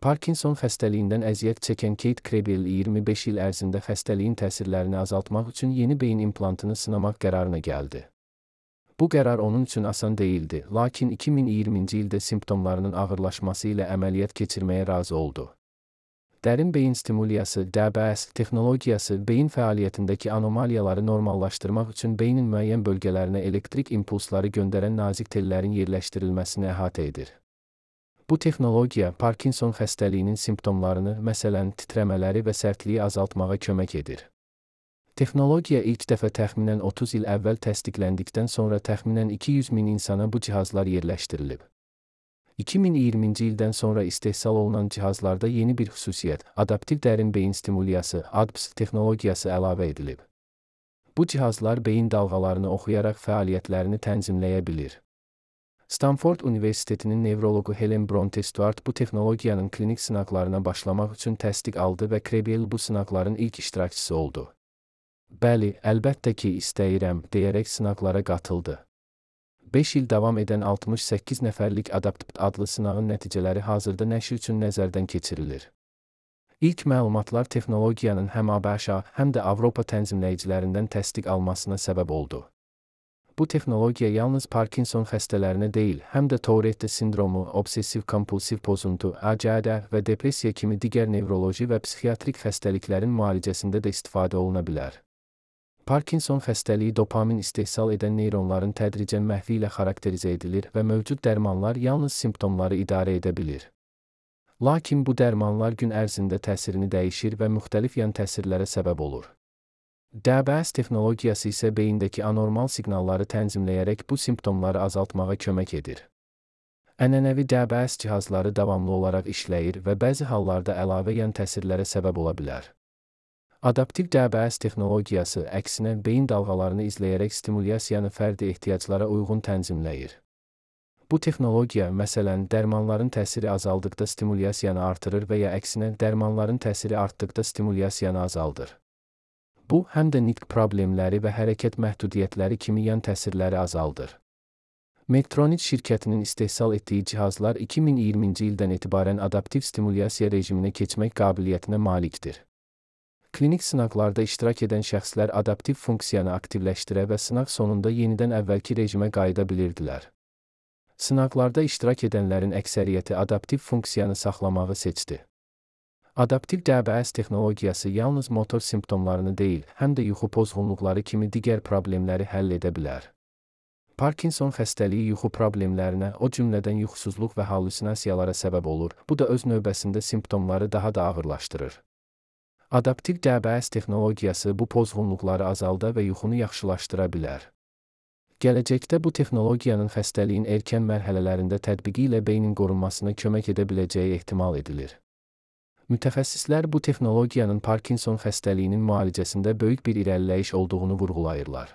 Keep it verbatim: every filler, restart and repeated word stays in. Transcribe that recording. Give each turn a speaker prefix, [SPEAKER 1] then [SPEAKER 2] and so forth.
[SPEAKER 1] Parkinson xəstəliyindən əziyyət çəkən Kate Krabiel iyirmi beş il ərzində xəstəliyin təsirlərini azaltmaq üçün yeni beyin implantını sınamaq qərarına gəldi. Bu qərar onun üçün asan değildi, lakin iki min iyirminci ildə simptomlarının ağırlaşması ilə əməliyyat keçirməyə razı oldu. Dərin beyin stimuliyası D B S texnologiyası beyin fəaliyyətindəki anomaliyaları normallaşdırmaq üçün beynin müəyyən bölgələrinə elektrik impulsları göndərən nazik tellərin yerləşdirilməsini əhatə edir. Bu texnologiya Parkinson xəstəliyinin simptomlarını, məsələn, titrəmələri və sərtliyi azaltmağa kömək edir. Texnologiya ilk dəfə təxminən otuz il əvvəl təsdiqləndikdən sonra təxminən iki yüz min insana bu cihazlar yerləşdirilib. iki min iyirminci ildən sonra istehsal olunan cihazlarda yeni bir xüsusiyyət, adaptiv dərin beyin stimuliyası A D B S texnologiyası əlavə edilib. Bu cihazlar beyin dalğalarını oxuyaraq fəaliyyətlərini tənzimləyə bilir. Stanford Universitetinin nevroloqu Helen Bronte Stuart bu texnologiyanın klinik sınaqlarına başlamaq üçün təsdiq aldı və Krabiel bu sınaqların ilk iştirakçısı oldu. Bəli, əlbəttə ki, istəyirəm, deyərək sınaqlara qatıldı. beş il davam edən altmış səkkiz nəfərlik ADAPT adlı sınağın nəticələri hazırda nəşr üçün nəzərdən keçirilir. İlk məlumatlar texnologiyanın həm ABŞ, həm də Avropa tənzimləyicilərindən təsdiq almasına səbəb oldu. Bu texnologiya yalnız Parkinson xəstələrinə deyil, həm də Tourette sindromu, obsessiv-kompulsiv pozuntu, A C D və depressiya kimi digər nevroloji və psixiatrik xəstəliklərin müalicəsində də istifadə oluna bilər. Parkinson xəstəliyi dopamin istehsal edən neyronların tədricən məhvi ilə xarakterizə edilir və mövcud dərmanlar yalnız simptomları idarə edə bilir. Lakin bu dərmanlar gün ərzində təsirini dəyişir və müxtəlif yan təsirlərə səbəb olur. D B S texnologiyası isə beyindəki anormal siqnalları tənzimləyərək bu simptomları azaltmağa kömək edir. Ənənəvi D B S cihazları davamlı olaraq işləyir və bəzi hallarda əlavə yan təsirlərə səbəb ola bilər. Adaptiv D B S texnologiyası əksinə beyin dalğalarını izləyərək stimulyasiyanı fərdi ehtiyaclara uyğun tənzimləyir. Bu texnologiya, məsələn, dərmanların təsiri azaldıqda stimulyasiyanı artırır və ya əksinə dərmanların təsiri artdıqda stimulyasiyanı azaldır. Bu, həm də nitq problemləri və hərəkət məhdudiyyətləri kimi yan təsirləri azaldır. Medtronic şirkətinin istehsal etdiyi cihazlar iki min iyirminci ildən etibarən adaptiv stimulyasiya rejiminə keçmək qabiliyyətinə malikdir. Klinik sınaqlarda iştirak edən şəxslər adaptiv funksiyanı aktivləşdirə və sınaq sonunda yenidən əvvəlki rejimə qayıda bilirdilər. Sınaqlarda iştirak edənlərin əksəriyyəti adaptiv funksiyanı saxlamağı seçdi. Adaptiv D B S texnologiyası yalnız motor simptomlarını deyil, həm də yuxu pozğunluqları kimi digər problemləri həll edə bilər. Parkinson xəstəliyi yuxu problemlərinə, o cümlədən yuxusuzluq və hallüsinasiyalara səbəb olur, bu da öz növbəsində simptomları daha da ağırlaşdırır. Adaptiv D B S texnologiyası bu pozğunluqları azalda və yuxunu yaxşılaşdıra bilər. Gələcəkdə bu texnologiyanın xəstəliyin erkən mərhələlərində tətbiqi ilə beynin qorunmasına kömək edə biləcəyi ehtimal edilir. Mütəxəssislər bu texnologiyanın Parkinson xəstəliyinin müalicəsində böyük bir irəliləyiş olduğunu vurğulayırlar.